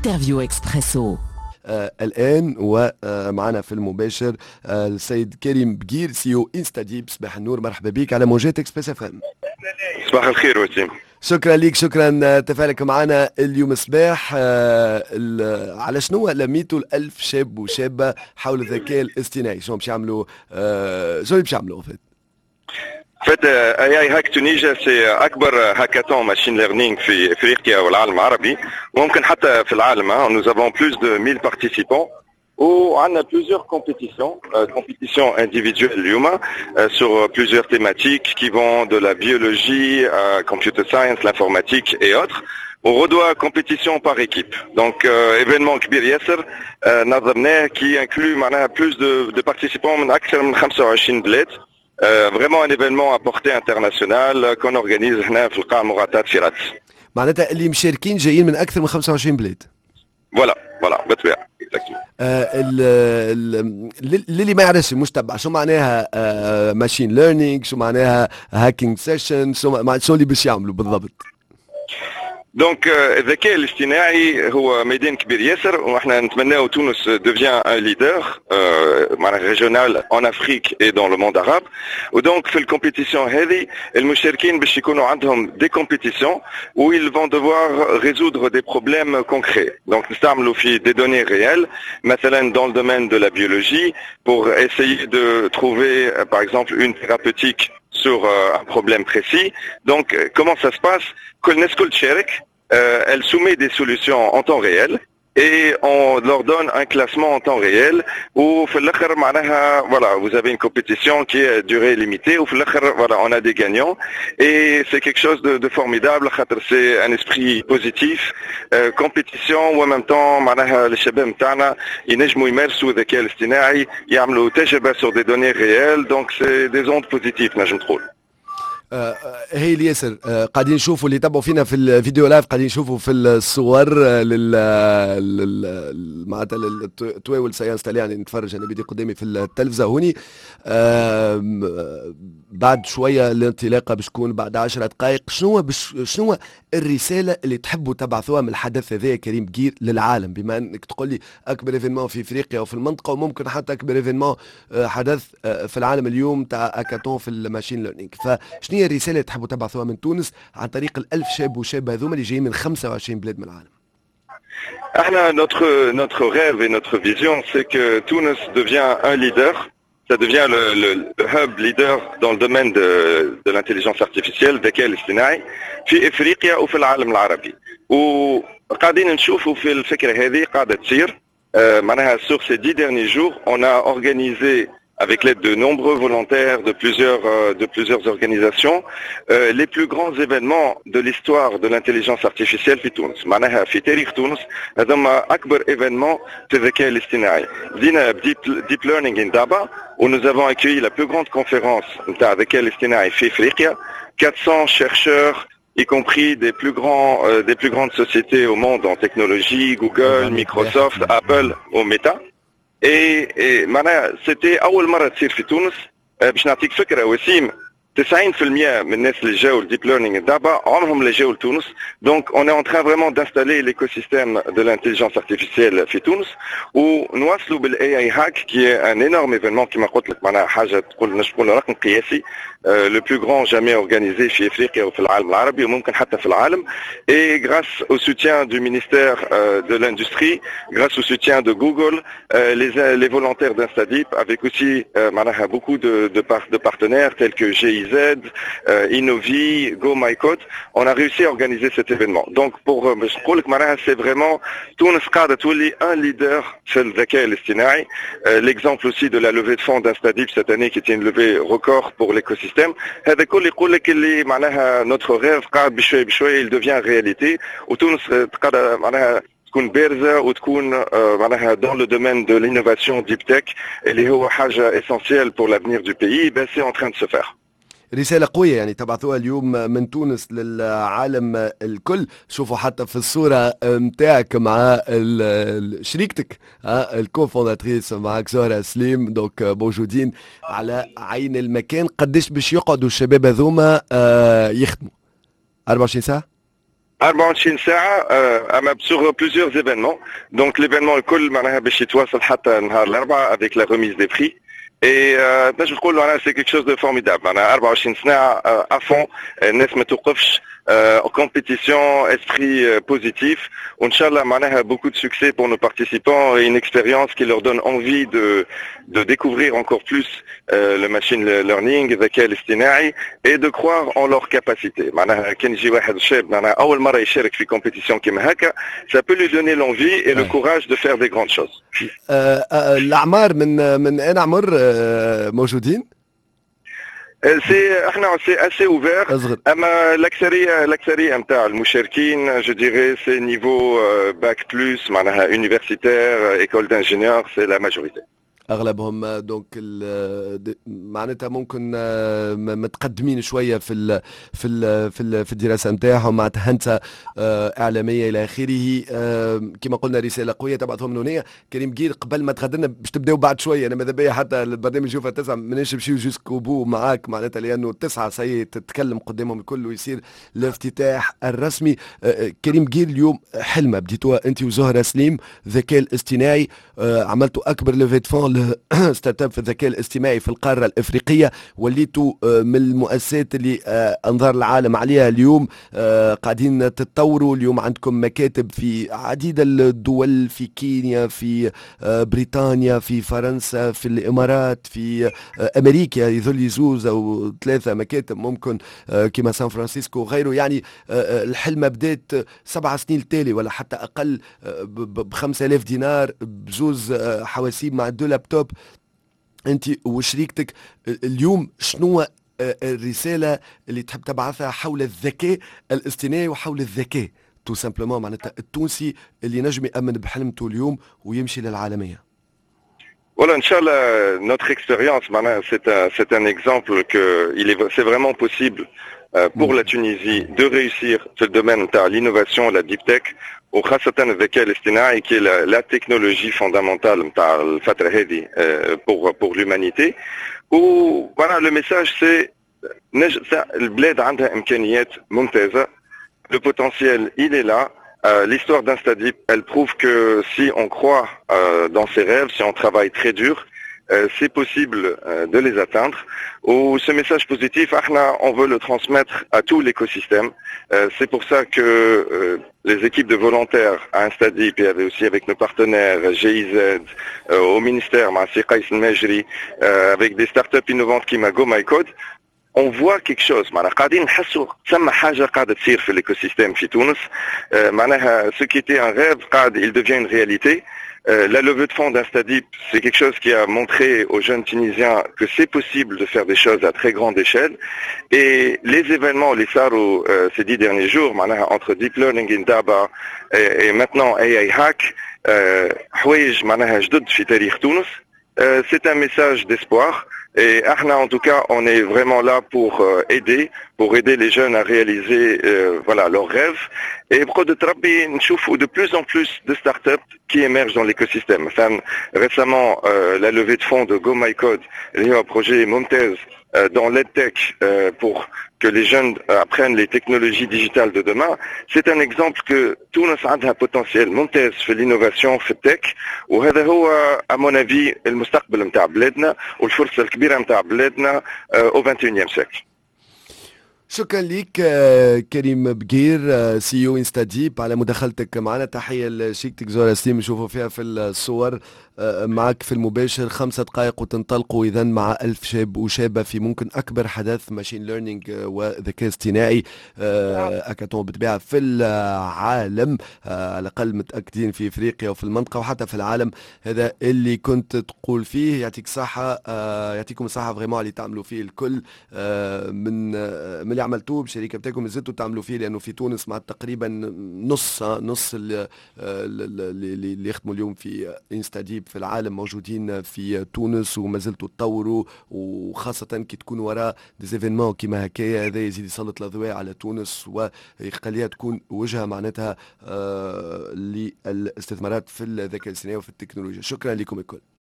Interview Expresso. الان ومعنا في المباشر السيد كريم بقير، CEO InstaDeep. صباح النور، مرحبا بك على موجات Express FM. صباح الخير وسيم. شكرا لك، شكرا تفاعلك معنا اليوم صباح. على شنو لميتوا الألف شاب وشابة حول الذكاء الاصطناعي؟ شنو باش يعملوا؟ شنو باش يعملوا فات؟ فات AI Hack Tunisia، c'est اكبر hackathon machine learning في افريقيا والعالم العربي وممكن حتى في العالم. Nous avons plus de 1000 participants وعندنا plusieurs compétitions, compétitions individuelles اليوم sur plusieurs thématiques qui vont de la biologie à computer science, l'informatique et autres. وغدوة compétition par équipe. Donc événement كبير ياسر نظمناه qui inclut معناها plus de participants من أكثر من 25 بلاد. Vraiment un événement à portée internationale qu'on organise هنا في القاعة المغطاة في رادس. معناتها اللي مشاركين جايين من أكثر من 25 بلاد. Voilà، بالطبيعة. للي ما يعرفش مش تبع، شو معناها machine learning؟ شو معناها hacking session؟ شو اللي باش يعملوا بالضبط؟ Donc الذكاء الاصطناعي هو ميدان كبير ياسر، واحنا نتمناو تونس devient un leader معناها régional en Afrique et dans le monde arabe. و donc في ال compétition هذه المشاركين باش يكونوا عندهم des compétitions où ils vont devoir résoudre des problèmes concrets. Donc نستعملوا في des données réelles، مثلا dans le domaine de la biologie pour essayer de trouver par exemple une thérapeutique sur un problème précis. Donc comment ça se passe؟ كل الناس كل تشارك، elle soumet des solutions en temps réel et on leur donne un classement en temps réel وفي الاخر معناها voilà، vous avez une compétition qui est à durée limitée وفي الاخر voilà، on a des gagnants et c'est quelque chose de formidable خاطر c'est un esprit positif، compétition و en même temps معناها الشباب نتاعنا ينجموا يمارسوا الذكاء الاصطناعي، يعملوا تجربه sur des données réelles، donc c'est des ondes positives نجم تقول. هايل ياسر. قاعدين نشوفوا، اللي يتبعوا فينا في ال vidéo live قاعدين نشوفوا في الصور لل معناتها التواول séance تاع، يعني نتفرج انا بدي قدامي في التلفزة هوني. بعد شوية الانطلاقة باش تكون بعد 10 دقائق. شنو الرسالة اللي تحبوا تبعثوها من الحدث هذا كريم بقير للعالم، بما انك تقول لي اكبر événement في افريقيا وفي المنطقة وممكن حتى اكبر événement حدث في العالم اليوم تاع هاكاثون في ال machine learning؟ فشنو هي الرسالة اللي تحبوا تبعثوها من تونس عن طريق الألف شاب وشابه هذوما اللي جايين من 25 بلاد من العالم؟ احنا notre rêve et notre vision، c'est que Tunis devient un leader، ça devient le hub leader dans le domaine de l'intelligence artificielle، الذكاء الاصطناعي في افريقيا وفي العالم العربي. وقاعدين نشوفوا في الفكرة هذه قاعدة تصير. معناها sur ces 10 derniers jours، on a organisé avec l'aide de nombreux volontaires de plusieurs organisations, les plus grands événements de l'histoire de l'intelligence artificielle في تونس. معناها في تاريخ تونس هذوما أكبر événement في الذكاء الاصطناعي. بدينا Deep Learning Indaba où nous avons accueilli la plus grande conférence نتاع الذكاء الاصطناعي في افريقيا، 400 chercheurs، y compris des plus grandes sociétés au monde en technologie، Google، Microsoft، Apple و Meta. Et معناها c'était أول مرة تصير في تونس. باش نعطيك فكرة وسيم، 90% من الناس اللي جاوا ال Deep Learning Indaba عمرهم لا جاوا لتونس. Donc on est en train vraiment d'installer l'écosystème de l'intelligence artificielle في تونس، ونواصلوا بال AI Hack qui est un énorme événement كما قلت لك، معناها حاجة تقول نجم نقول رقم قياسي، le plus grand jamais organisé في افريقيا وفي العالم العربي وممكن حتى في العالم. Et grâce au soutien du ministère de l'industrie، grâce au soutien de Google، les volontaires d'InstaDeep، avec aussi معناها beaucoup de partenaires tels que GIZ، Innovi، GoMyCode، on a réussi à organiser cet événement. Donc pour باش نقول لك معناها c'est vraiment تونس قاعدة تولي un leader في الذكاء الاصطناعي. L'exemple aussi de la levée de fonds d'InstaDeep cette année qui était une levée record pour l'écosystème. هذا كل يقول لك اللي معناها notre rêve قاعد بشوي بشوي il devient réalité، وتونس قاعدة معناها تكون بارزة وتكون معناها dans le domaine de l'innovation deep tech اللي هو حاجة essentielle pour l'avenir du pays، ben c'est en train de se faire. رسالة قوية يعني تبعثوها اليوم من تونس للعالم الكل. شوفوا حتى في الصورة متاعك مع شريكتك، ال cofondatrice معك زهرة سليم، donc موجودين على عين المكان. قداش باش يقعدوا الشباب هذوما يخدموا؟ 24 ساعة؟ 24 ساعة اما sur plusieurs événements. Donc l'événement الكل معناها باش يتواصل حتى نهار الأربعاء avec la remise des prix. Et تنجم تقول معناها c'est quelque chose de formidable. معناها 24 ساعة à fond، الناس ما توقفش، compétition, esprit positif. وإن شاء الله معناها beaucoup de succès pour nos participants et une expérience qui leur donne envie de découvrir encore plus le machine learning، الذكاء الاصطناعي، et de croire en leur capacité. معناها كان يجي واحد شاب معناها أول مرة يشارك في compétition كيما هكا، ça peut lui donner l'envie et le courage de faire des grandes choses. الأعمار من أين عمر موجودين؟ c'est احنا c'est assez ouvert، اما الاكثريه نتاع المشاركين، je dirais, c'est niveau bac plus، معناها universitaire، école d'ingénieur، c'est la majorité. اغلبهم donc معناتها ممكن متقدمين شوية في الدراسة نتاعهم، معناتها هندسة اعلامية الى اخره. كما قلنا رسالة قوية تبعثهم من هنا. كريم بقير، قبل ما تغادرنا، باش تبداو بعد شويه، انا ماذا بيا حتى البرنامج يوفى 9، ماناش نمشيو jusqu'au bout معاك، معناتها لانه 9 ça y est تتكلم قدامهم الكل ويصير الافتتاح الرسمي. كريم بقير، اليوم حلمه بديتوها انت وزهرة سليم، الذكاء الاصطناعي، عملتوا اكبر levée de fonds startup في الذكاء الاصطناعي في القارة الافريقيه، وليتوا من المؤسسات اللي انظار العالم عليها اليوم، قاعدين تتطوروا، اليوم عندكم مكاتب في عديد الدول، في كينيا، في بريطانيا، في فرنسا، في الامارات، في امريكا، يظل زوز او ثلاثة مكاتب ممكن كما سان فرانسيسكو وغيره. يعني الحلمة بدات 7 سنين التالي ولا حتى اقل ب 5000 دينار، بزوز حواسيب مع deux laptops، انت وشريكتك. اليوم شنو الرسالة اللي تحب تبعثها حول الذكاء الاصطناعي وحول الذكاء tout simplement، معناتها التونسي اللي نجم يامن بحلمته اليوم ويمشي للعالميه؟ Voilà, إن شاء الله, notre expérience, c'est un exemple que c'est vraiment possible pour la Tunisie de réussir ce domaine de l'innovation, la deep tech, وخاصة الذكاء الاصطناعي qui est la technologie fondamentale نتاع الفترة هذه pour l'humanité. و voilà, le message c'est البلاد عندها إمكانيات ممتازة. Le potentiel, il est là. L'histoire d'InstaDeep, elle prouve que si on croit dans ses rêves, si on travaille très dur, c'est possible de les atteindre. و ce message positif, احنا, on veut le transmettre à tout l'écosystème. C'est pour ça que les équipes de volontaires à InstaDeep et aussi avec nos partenaires GIZ, au ministère, مع سي قيس الماجري, avec des startups innovantes كيما Go My Code, on voit quelque chose. معناها قاعدين نحسوا ثم حاجة قاعدة تصير في l'écosystème في تونس. معناها ce qui était un rêve قاعد il devient une réalité. La levée de fonds d'InstaDeep, c'est quelque chose qui a montré aux jeunes Tunisiens que c'est possible de faire des choses à très grande échelle. Et les événements, اللي صاروا ces 10 derniers jours, معناها entre Deep Learning Indaba et maintenant AI Hack, حوايج معناها جدد في تاريخ تونس. C'est un message d'espoir. Et احنا, en tout cas, on est vraiment là pour aider les jeunes à réaliser voilà, leurs rêves. Et بقدرة ربي نشوفوا de plus en plus de startups qui émergent dans l'écosystème. Enfin, récemment, la levée de fonds de Go My Code, اللي هو projet ممتاز dans l'EdTech pour que les jeunes apprennent les technologies digitales de demain, c'est un exemple que تونس عندها potentiel ممتاز في l'innovation، في ال tech، وهذا هو à mon avis المستقبل نتاع بلادنا والفرصة الكبيرة نتاع بلادنا au 21e siècle. شكرا لك كريم بقير، CEO InstaDeep، على مداخلتك معنا. تحية لشريكتك زهره سليم، نشوفوا فيها في الصور معك في المباشر. 5 دقائق وتنطلقوا اذا مع 1000 شاب وشابه في ممكن اكبر حدث machine learning وذكاء اصطناعي هاكاثون بالطبيعة في العالم، على الاقل متاكدين في افريقيا وفي المنطقة وحتى في العالم. هذا اللي كنت تقول فيه. يعطيك الصحه، يعطيكم الصحة vraiment اللي تعملوا فيه الكل من اللي عملتوه بالشركة بتاعكم، مازلتوا تعملوا فيه، لانه في تونس مع تقريبا نص نص اللي يخدموا اليوم في InstaDeep في العالم موجودين في تونس، وما زلتوا تطوروا، وخاصة كي تكون وراء des événements كيما هكايا، هذا يزيد يسلط الاضواء على تونس ويخليها تكون وجهه معناتها للاستثمارات في الذكاء الاصطناعي وفي التكنولوجيا. شكرا لكم الكل.